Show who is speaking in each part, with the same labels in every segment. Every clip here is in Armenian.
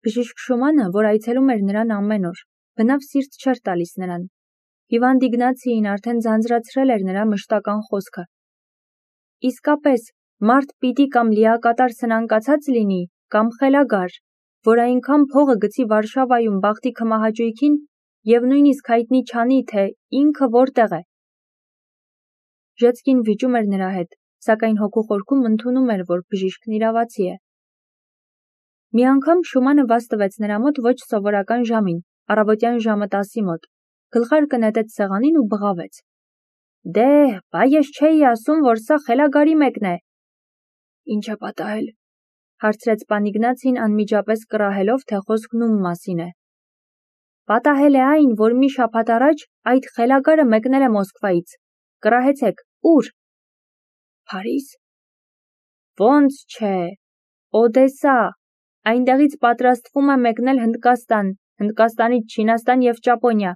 Speaker 1: Բժիշկ Շումանը, որ այցելում էր նրան ամեն օր, բնավ սիրտ չէր տալիս նրան։ Հիվանդ Իգնացիին արդեն ձանձրացրել էր նրա մշտական խոսքը։ Իսկապես, մարդ պիտի կամ լիակատար սնանկացած լինի, կամ խելագար, որ այնքան փողը գցի Վարշավայում բախտի քմահաճույքին և նույնիսկ հայտնի չանի, թե ինքը որտեղ է։ Ժեցկին վիճում էր նրա հետ, սակայն հոգու խորքում ընդունում էր, որ բժիշկն իրավացի է։ Մի անգամ Շումանը վազ տվեց նրա մոտ ոչ սովորական ժամին, առավոտյան ժամը 10-ի մոտ, գլխարկը նետեց սեղանին ու բղավեց. Դե, բա ես չէի ասում, որ սա խելագարի մեկն է։ Ինչ է պատահել, հարցրեց պան Իգնացին անմիջապես կռահելով, թե խոսքն ում մասին է։ Պատահել է այն, որ մի շաբաթ առաջ այդ խելագարը մեկնել է Մոսկվայից։ Կռահեցեք, ուր։ Փարիզ։ Ոնց չէ, Օդեսա, այնտեղից պատրաստվում է մեկնել Հնդկաստան, Հնդկաստանից Չինաստան և Ճապոնիա,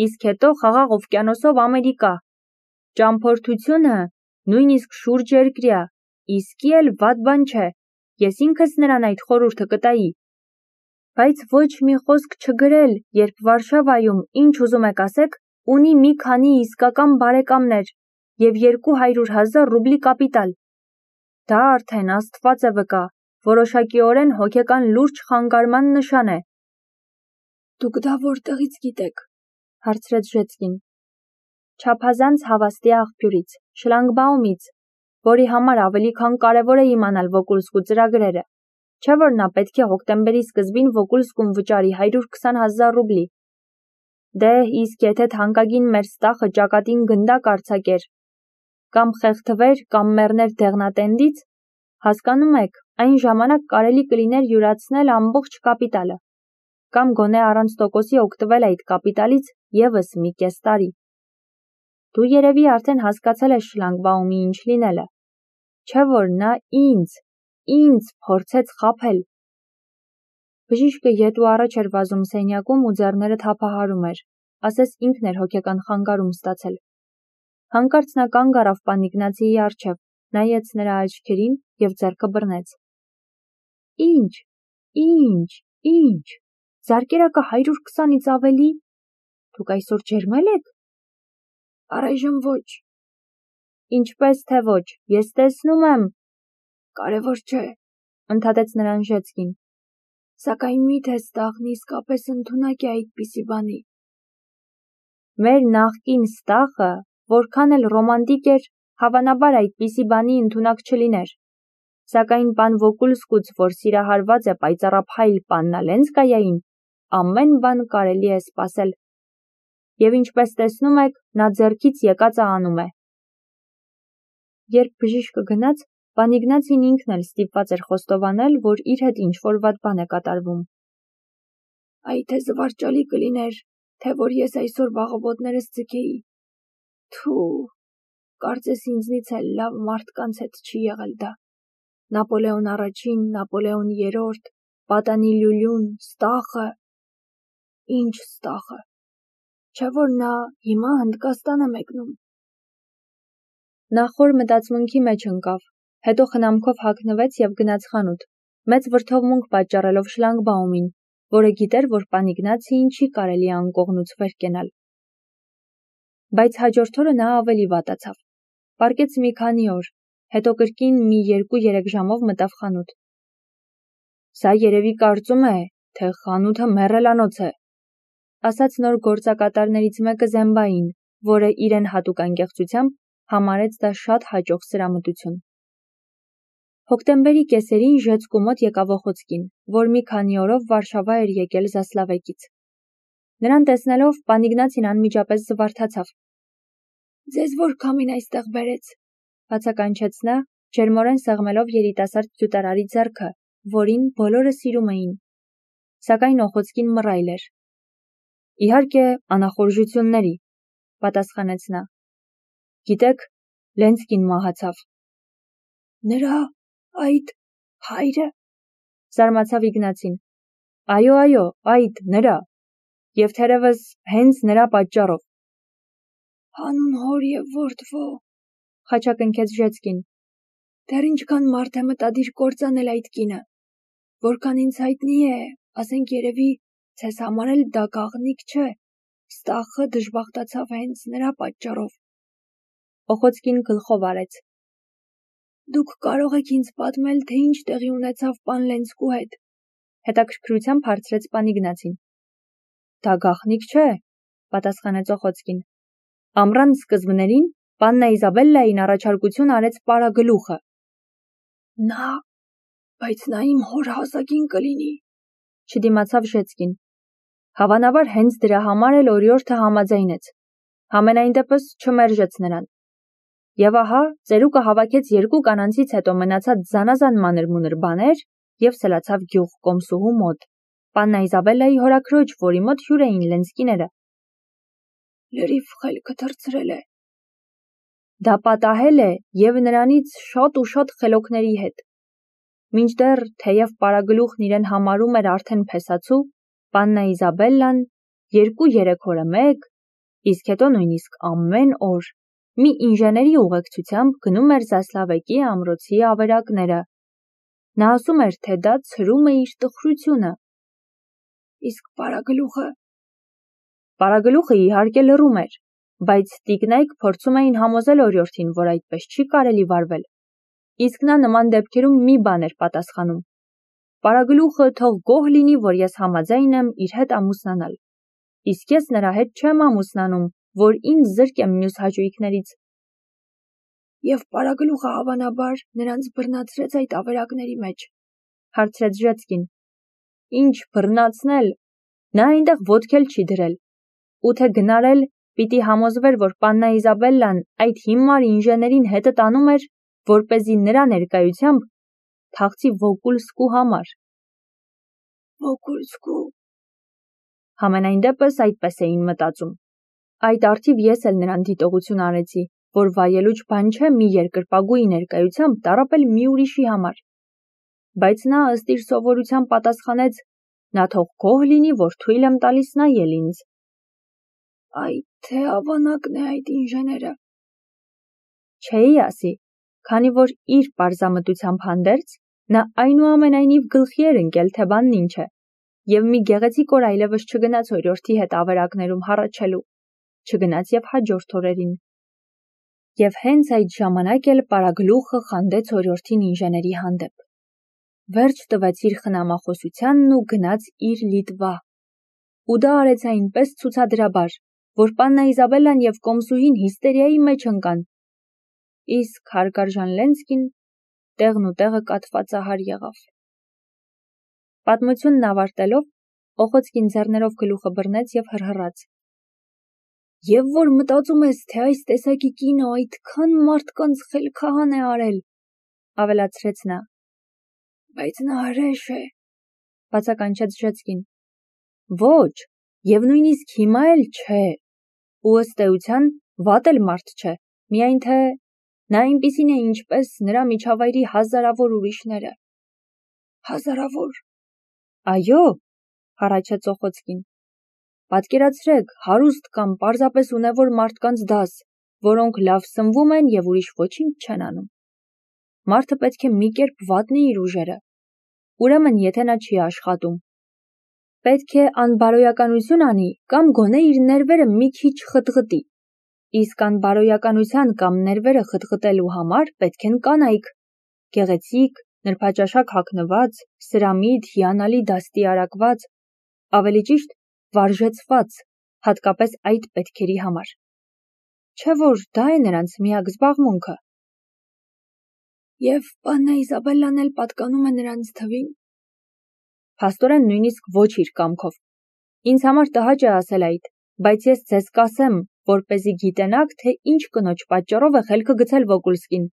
Speaker 1: իսկ հետո Խաղաղ օվկիանոսով Ամերիկա։ Ճամփորդությունը նույնիսկ շուրջերկրյա, իսկի էլ վատ բան չէ, ես ինքս նրան այդ խորհուրդը կտայի։ Բայց ոչ մի խոսք չգրել, երբ Վարշավայում, ինչ ուզում եք ասեք, ունի մի քանի իսկական բարեկամներ և 200,000 ռուբլի կապիտալ։ Դա արդեն Աստված է վկա, որոշակիորեն հոգեկան լուրջ խանգարման նշան է։ Դուք դա որտեղից գիտեք, հարցրեց Ժեցկին։ Չափազանց հավաստի աղբյուրից, Շլանգբաումից, որի համար ավելի քան կարևոր է իմանալ Վոկուլսկու ծրագրերը, չէ՞ որ նա պետք է հոկտեմբերի սկզբին Վոկուլսկուն վճարի 120,000 ռուբլի։ Դե, իսկ եթե թանկագին մեր ստախը ճակատին գնդակ արձակեր, կամ խեղդվեր, կամ մեռներ դեղնատենդից, հասկանում եք, այն ժամանակ կարելի կլիներ յուրացնել ամբողջ կապիտալը, կամ գոնե առանց տոկոսի օգտվել այդ կապիտալից ևս մի կես տարի։ Դու երևի արդեն հասկացել ես Շլանգբաումի ինչ լինելը, չէ՞ որ նա ինձ փորձեց խաբել։ Բժիշկը ետ ու առաջ էր վազում սենյակում ու ձեռները թափահարում էր, ասես ինքն էր հոգեկան խանգարում ստացել։ Հանկարծ նա կանգ առավ պան Իգնացիի առջև, նայեց նրա աչքերին և ձեռքը բռնեց։ Ինչ, զարկերակը 120-ից ավելի։ Դուք այսօր ջերմել եք։ Առայժմ ոչ։ Ինչպես թե ոչ, ես տեսնում եմ։ Կարևոր չէ, ընդհատեց նրան Ժեցկին։ Սակայն միթե ստախն իսկապես ընդունակ է այդպիսի բանի։ Մեր նախկին ստախը, որքան էլ ռոմանտիկ էր, հավանաբար այդպիսի բանի ընդունակ չլիներ։ Սակայն պան Վոկուլսկուց, որ սիրահարված է պայծառափայլ պաննա Լենսկայային, ամեն բան կարելի է սպասել։ Եվ ինչպես տեսնում եք, նա ձեռքից եկածը անում է։ Երբ բժիշկը գնաց, պան Իգնացին ինքն էլ ստիպված էր խոստովանել, որ իր հետ ինչ-որ վատ բան է կատարվում։ Այ թե զվարճալի կլիներ, թե որ ես այսօր վաղոբոտներս ձգեի։ Թու, կարծես ինձնից էլ լավ մարդկանց հետ չի եղել դա։ Նապոլեոն առաջին, Նապոլեոն երրորդ, պատանի լյուլյուն, ստախը։ Ինչ ստախը։ Չէ՞ որ նա հիմա Հնդկաստան է մեկնում։ Նա խոր մտածմունքի մեջ ընկավ, հետո խնամքով հագնվեց և գնաց խանութ, մեծ վրդովմունք պատճառելով Շլանգբաումին, որը գիտեր, որ պան Իգնացիին չի կարելի անկողնուց վեր կենալ։ Բայց հաջորդ օրը նա ավելի վատացավ։ Պառկեց մի քանի օր, հետո կրկին մի 2-3 ժամով մտավ խանութ։ Սա երևի կարծում է, թե խանութը մեռելանոց է, ասաց նոր գործակատարներից մեկը Զեմբային, որը իրեն հատուկ անկեղծությամբ համարեց դա շատ հաճող սրամտություն։ Հոկտեմբերի կեսերին Ժեցկու մոտ եկավ Օխոցկին, որ մի քանի օրով Վարշավա էր եկել Զասլավեկից։ Նրան տեսնելով պան Իգնացին անմիջապես զվարթացավ։ Ձեզ որ քամին այստեղ բերեց, բացականչեց նա, ջերմորեն սեղմելով երիտասարդ գյուտարարի ձեռքը, որին բոլորը սիրում էին։ Սակայն Օխոցկին մռայլ էր։ Իհարկե, անախորժությունների, պատասխանեց նա։ Գիտեք, Լենսկին մահացավ։ Նրա այդ հայրը, զարմացավ Իգնացին։ Այո, այդ նրա, և թերևս հենց նրա պատճառով։ Հանուն հոր և որդվո, խաչակնքեց Ժեցկին։ Դեռ ինչքան մարդ է մտադիր կործանել այդ կինը։ Որքան ինձ հայտնի է, ասենք երևի ցես համար էլ դա գաղտնիք չէ, ստախը դժբախտացավ հենց նրա պատճառով։ Օխոցկին գլխով արեց։ Դուք կարող եք ինձ պատմել, թե ինչ տեղի ունեցավ պան Լենցկու հետ։ Հետաքրքրությամբ հարցրեց պան Իգնացին։ Դա գաղտնիք չէ, պատասխանեց Օխոցկին։ Ամռան սկզբներին պաննա Իզաբելլային առաջարկություն արեց պարագլուխը։ Բայց նա իմ հոր հասակին կլինի, չդիմացավ Ժեցկին։ Հավանաբար հենց դրա համար էլ օրիորդը համաձայնեց։ Համենայն դեպս չմերժեց նրան։ Եվ ահա ծերուկը հավաքեց երկու կանանցից հետո մնացած զանազան մանր-մունր բաներ և սլացավ գյուղ կոմսուհու մոտ, պաննա Իզաբելլայի հորաքրոջ, որի մոտ հյուր էին Լենցկիները։ Լրիվ խելքը թռցրել է։ Դա պատահել է և նրանից շատ ու շատ խելոքների հետ։ Մինչդեռ, թեև պարագլուխն իրեն համարում էր արդեն փեսացու, պաննա Իզաբելլան 2-3 օրը մեկ, իսկ հետո նույնիսկ ամեն օր մի ինժեների ուղեկցությամբ գնում էր Զասլավեկի ամրոցի ավերակները։ Նա ասում էր, թե դա ցրում է իր տխրությունը։ Իսկ պարագլուխը իհարկե լռում էր, բայց տիկնայք փորձում էին համոզել օրիորդին, որ այդպես չի կարելի վարվել։ Իսկ նա նման դեպքերում մի բան էր պատասխանում. Պարագլուխը թող գոհ լինի, որ ես համաձայն եմ իր հետ ամուսնանալ, իսկ ես նրա հետ չեմ ամուսնանում, որ ինձ զրկեմ մյուս հաճույքներից։ Եվ պարագլուխը հավանաբար նրանց բռնացրեց այդ ավերակների մեջ, հարցրեց Ժեցկին։ Ինչ բռնացնել, նա այնտեղ ոտք էլ չի դրել, ու թե գնարել, պիտի համոզվեր, որ պաննա Իզաբելլան այդ հիմար ինժեներին հետը տանում էր, որպեսզի նրա ներկայությամբ թաղցի Վոկուլսկու համար։ Վոկուլսկու։ Համենայն դեպս այդպես էին մտածում։ Այդ առթիվ ես էլ նրան դիտողություն արեցի, որ վայելուչ բան չէ մի երկրպագուի ներկայությամբ տառապել մի ուրիշի համար։ Բայց նա ըստ իր սովորության պատասխանեց. նա թող գոհ լինի, որ թույլ եմ տալիս նայել ինձ։ Այդ թե ավանակն է այդ ինժեները։ Չէի ասի, քանի որ իր պարզամտությամբ հանդերձ նա այնուամենայնիվ գլխի էր ընկել, թե բանն ինչ է, և մի գեղեցիկ օր այլևս չգնաց օրիորդի հետ ավերակներում հառաչելու, չգնաց և հաջորդ օրերին։ Եվ հենց այդ ժամանակ էլ պարագլուխը խանդեց օրիորդին ինժեների հանդեպ։ Վերջ տվեց իր խնամախոսությանն ու գնաց իր Լիտվա։ Ու դա արեց այնպես ցուցադրաբար, որ պաննա Իզաբելլան և կոմսուհին հիստերիայի մեջ ընկան։ Իսկ հարգարժան Լենցկին տեղն ու տեղը կաթվածահար եղավ։ Պատմությունն ավարտելով, Օխոցկին ձեռներով գլուխը բռնեց և հռհռաց։ Եվ որ մտածում ես, թե այս տեսակի կինը այդքան մարդկանց խելքահան է արել, ավելացրեց նա։ Բայց նա հրեշ է, բացականչեց Ժեցկին։ Ոչ, և նույնիսկ հիմա էլ չէ, ու ըստ էության վատ էլ մարդ չէ, միայն թե նա այնպիսին է, ինչպես նրա միջավայրի հազարավոր ուրիշները։ Հազարավոր։ Այո, հառաչեց Օխոցկին։ Պատկերացրեք, հարուստ կամ պարզապես ունևոր մարդկանց դաս, որոնք լավ սնվում են և ուրիշ ոչինչ չեն անում։ Մարդը պետք է մի կերպ վատնի իր ուժերը։ Ուրեմն, եթե նա չի աշխատում, պետք է անբարոյականություն անի կամ գոնե իր ներվերը մի քիչ խտղտի։ Իսկ անբարոյականության կամ ներվերը խտղտելու համար պետք են կանայք, գեղեցիկ, նրբաճաշակ հագնված, սրամիտ, հիանալի դաստիարակված, ավելի ճիշտ վարժեցված, հատկապես այդ պետքերի համար։ Չէ՞ որ դա է նրանց միակ զբաղմունքը։ Եվ պաննա Իզաբելլան էլ պատկանում է նրանց թվին։ Փաստորեն նույնիսկ ոչ իր կամքով։ Ինձ համար տհաճ է ասել այդ, բայց ես ձեզ կասեմ, որպեսզի գիտենաք, թե ինչ կնոջ պատճառով է խելքը գցել Վոկուլսկին։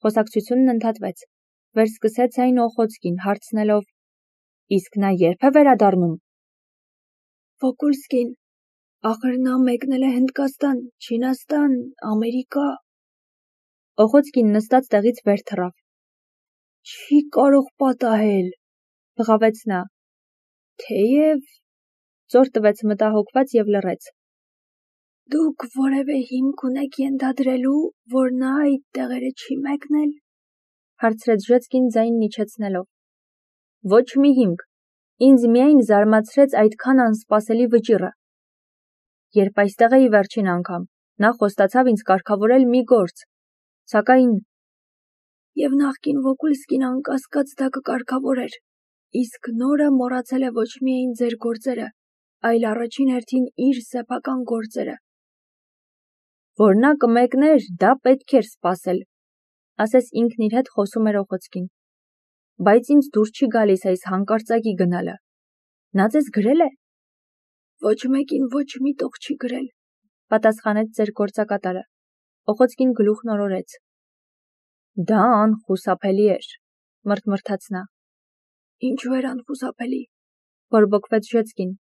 Speaker 1: Խոսակցությունն ընդհատվեց։ Վերսկսեց այն Օխոցկին, հարցնելով. Իսկ նա երբ է վերադառնում։ Վոկուլսկին, ախր նա մեկնել է Հնդկաստան, Չինաստան, Ամերիկա։ Օխոցկին նստած տեղից վեր թռավ։ Չի կարող պատահել, բղավեց նա։ Թեև ծոր տվեց մտահոգված և լռեց։ Դուք որևէ հիմք ունեք ենթադրելու, որ նա այդ տեղերը չի մեկնել, հարցրեց Ժեցկին ձայնն իջեցնելով։ Ոչ մի հիմք, Ինձ միայն զարմացրեց այդքան անսպասելի վճիռը։ Երբ այստեղ էի վերջին անգամ, նա խոստացավ ինձ կարգավորել մի գործ, սակայն
Speaker 2: Եվ նախկին Վոկուլսկին անկասկած դա կկարգավորեր, իսկ նորը մոռացել է ոչ միայն ձեր գործերը, այլ առաջին հերթին իր սեփական գործերը։
Speaker 1: Որ նա կմեկներ, դա պետք էր սպասել, ասես ինքն իր հետ խոսում էր Օխոցկին։ Բայց ինձ դուր չի գալիս այս հանկարծակի գնալը։ Նա ձեզ գրել է։
Speaker 2: Ոչ մեկին ոչ մի տող չի գրել,
Speaker 1: Պատասխանեց ձեր գործակատարը։ Օխոցկին գլուխն օրորեց։ Դա անխուսափելի էր, մրթմրթաց նա։
Speaker 2: Ինչու էր անխուսափելի,
Speaker 1: Բորբոքվեց Ժեցկին։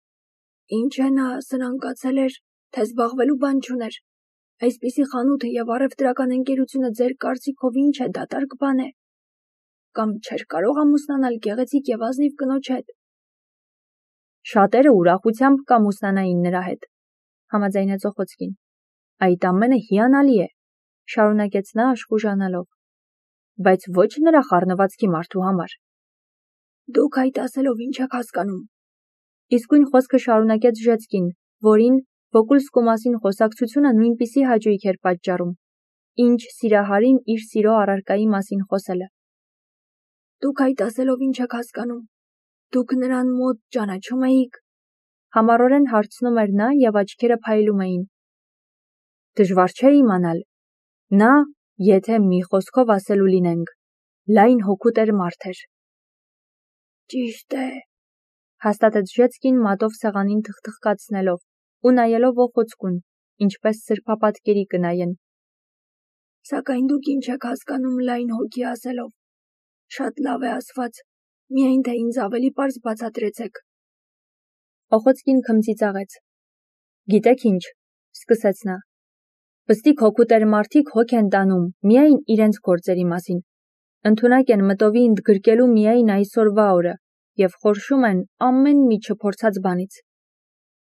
Speaker 2: ինչ է նա սնանկացել էր, թե զբաղվելու բան չուներ։ Այսպիսի խանութը եւ առևտրական ընկերությունը ձեր կարծիքով ինչ է, դատարկ բան է։ Կամ չէր կարող ամուսնանալ գեղեցիկ եւ ազնիվ կնոջ հետ։
Speaker 1: Շատերը ուրախությամբ կամուսնանային նրա հետ, համաձայնեց Օխոցկին։ Այդ ամենը հիանալի է, շարունակեց նա աշխուժանալով, բայց ոչ նրա խառնվածքի մարդու համար։
Speaker 2: Դուք այդ ասելով ինչ եք հասկանում։
Speaker 1: Իսկույն խոսքը շարունակեց Ժեցկին, որին Վոկուլսկու մասին խոսակցությունը նույնպիսի հաճույք էր պատճառում, ինչ սիրահարին իր սիրո առարկայի մասին խոսելը։
Speaker 2: Դուք այդ ասելով ինչ եք հասկանում։ Դուք նրան մոտ ճանաչում էիք։
Speaker 1: Համառորեն հարցնում էր նա եւ աչքերը փայլում էին։ Դժվար չէ իմանալ։ Նա, եթե մի խոսքով ասելու լինենք, լայն հոգուտեր մարդ էր։
Speaker 2: Ճիշտ է,
Speaker 1: Հաստատեց Ժեցկին մատով սեղանին թխթխկացնելով ու նայելով Օխոցկուն, ինչպես սրբապատկերի կնայեն։
Speaker 2: Սակայն դուք ինչ եք հասկանում լայն հոգի ասելով։ Շատ լավ է ասված, միայն թե ինձ ավելի պարզ բացատրեցեք։
Speaker 1: Օխոցկին քմծիծաղեց։ Գիտեք ինչ, սկսեց նա։ Պստիկ հոգուտեր մարդիկ հոգ են տանում միայն իրենց գործերի մասին։ Ընդունակ են մտովի ընդգրկելու միայն այսօրվա օրը եւ խորշում են ամեն մի չփորձած բանից։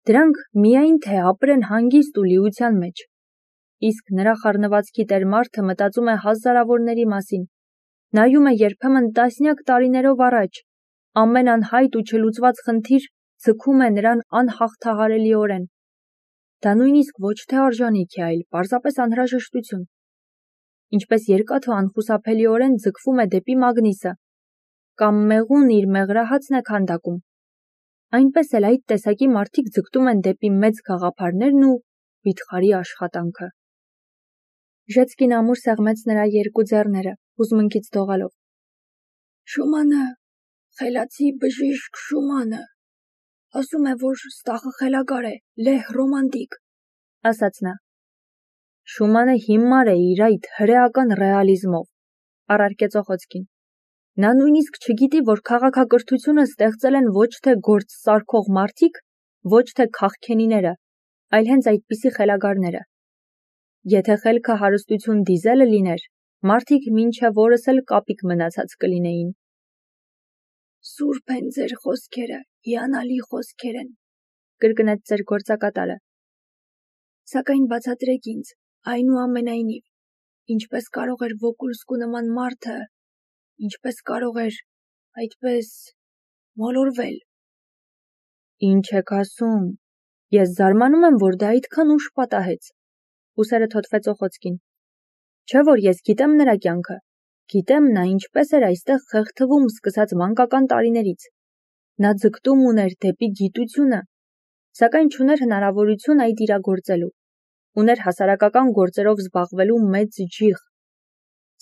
Speaker 1: Դրանք միայն թե ապրեն հանգիստ ու լիության մեջ։ Իսկ նրա խառնվածքի տեր մարդը մտածում է հազարավորների մասին։ Նայում է երբեմն տասնյակ տարիներով առաջ, ամեն անհայտ ու չլուծված խնդիր ձգում է նրան անհաղթահարելիորեն։ Դա նույնիսկ ոչ թե արժանիք է, այլ պարզապես անհրաժեշտություն։ Ինչպես երկաթը անխուսափելիորեն ձգվում է դեպի մագնիսը, կամ մեղուն իր մեղրահացն է քանդակում, այնպես էլ այդ տեսակի մարդիկ ձգտում են դեպի մեծ գաղափարներն ու վիթխարի աշխատանքը։ Ժեցկին ամուր սեղմեց նրա երկու ձեռները, հուզմունքից դողալով։
Speaker 2: Շումանը, խելացի բժիշկ Շումանը, ասում է, որ ստախը խելագար է, լեհ ռոմանտիկ,
Speaker 1: ասաց նա։ Շումանը հիմար է իր այդ հրեական ռեալիզմով, առարկեց Օխոցկին։ Նա նույնիսկ չգիտի, որ քաղաքակրթությունը ստեղծել են ոչ թե գործ սարքող մարդիկ, ոչ թե քաղքենիները, այլ հենց այդպիսի խելագարները։ Եթե խելքը հարստություն դիզելը լիներ, մարդիկ մինչև օրս էլ կապիկ մնացած կլինեին։
Speaker 2: Սուրբ են ձեր խոսքերը, հիանալի խոսքեր են,
Speaker 1: կրկնեց ձեր գործակատարը։
Speaker 2: Սակայն բացատրեք ինձ, այնուամենայնիվ, ինչպես կարող էր Վոկուլսկու նման մարդը, ինչպես կարող էր այդպես մոլորվել։
Speaker 1: Ինչ եք ասում։ Ես զարմանում եմ, որ դա այդքան ուշ պատահեց։ Ուսերը թոթվեց Օխոցկին։ Չէ՞ որ ես գիտեմ նրա կյանքը։ Գիտեմ նա ինչպես էր այստեղ խեղդվում սկսած մանկական տարիներից։ Նա ձգտում ուներ դեպի գիտությունը, սակայն չուներ հնարավորություն այդ իրագործելու։ Ուներ հասարակական գործերով զբաղվելու մեծ ջիղ։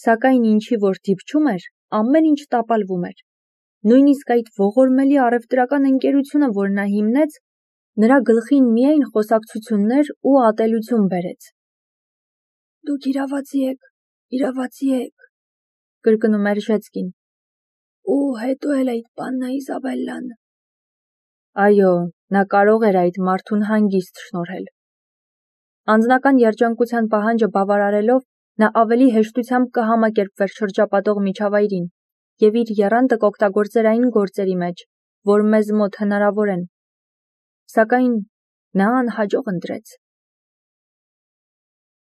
Speaker 1: Սակայն ինչի որ դիպչում էր, ամեն ինչ տապալվում էր։ Նույնիսկ այդ ողորմելի առևտրական ընկերությունը, որ նա հիմնեց, նրա գլխին միայն խոսակցություններ ու ատելություն բերեց։
Speaker 2: Դուք իրավացի եք,
Speaker 1: կրկնում էր Ժեցկին։
Speaker 2: Ու հետո էլ այդ Պաննա Իզաբելլան։
Speaker 1: Այո, նա կարող էր այդ մարդուն հանգիստ շնորհել։ Անձնական երջանկության պահանջը բավարարելով, նա ավելի հեշտությամբ կհամակերպվեր շրջապատող միջավայրին եւ իր եռանդը կօգտագործեր այն գործերի մեջ, որ մեզ մոտ հնարավոր են։ Սակայն նա անհաջող ընտրեց։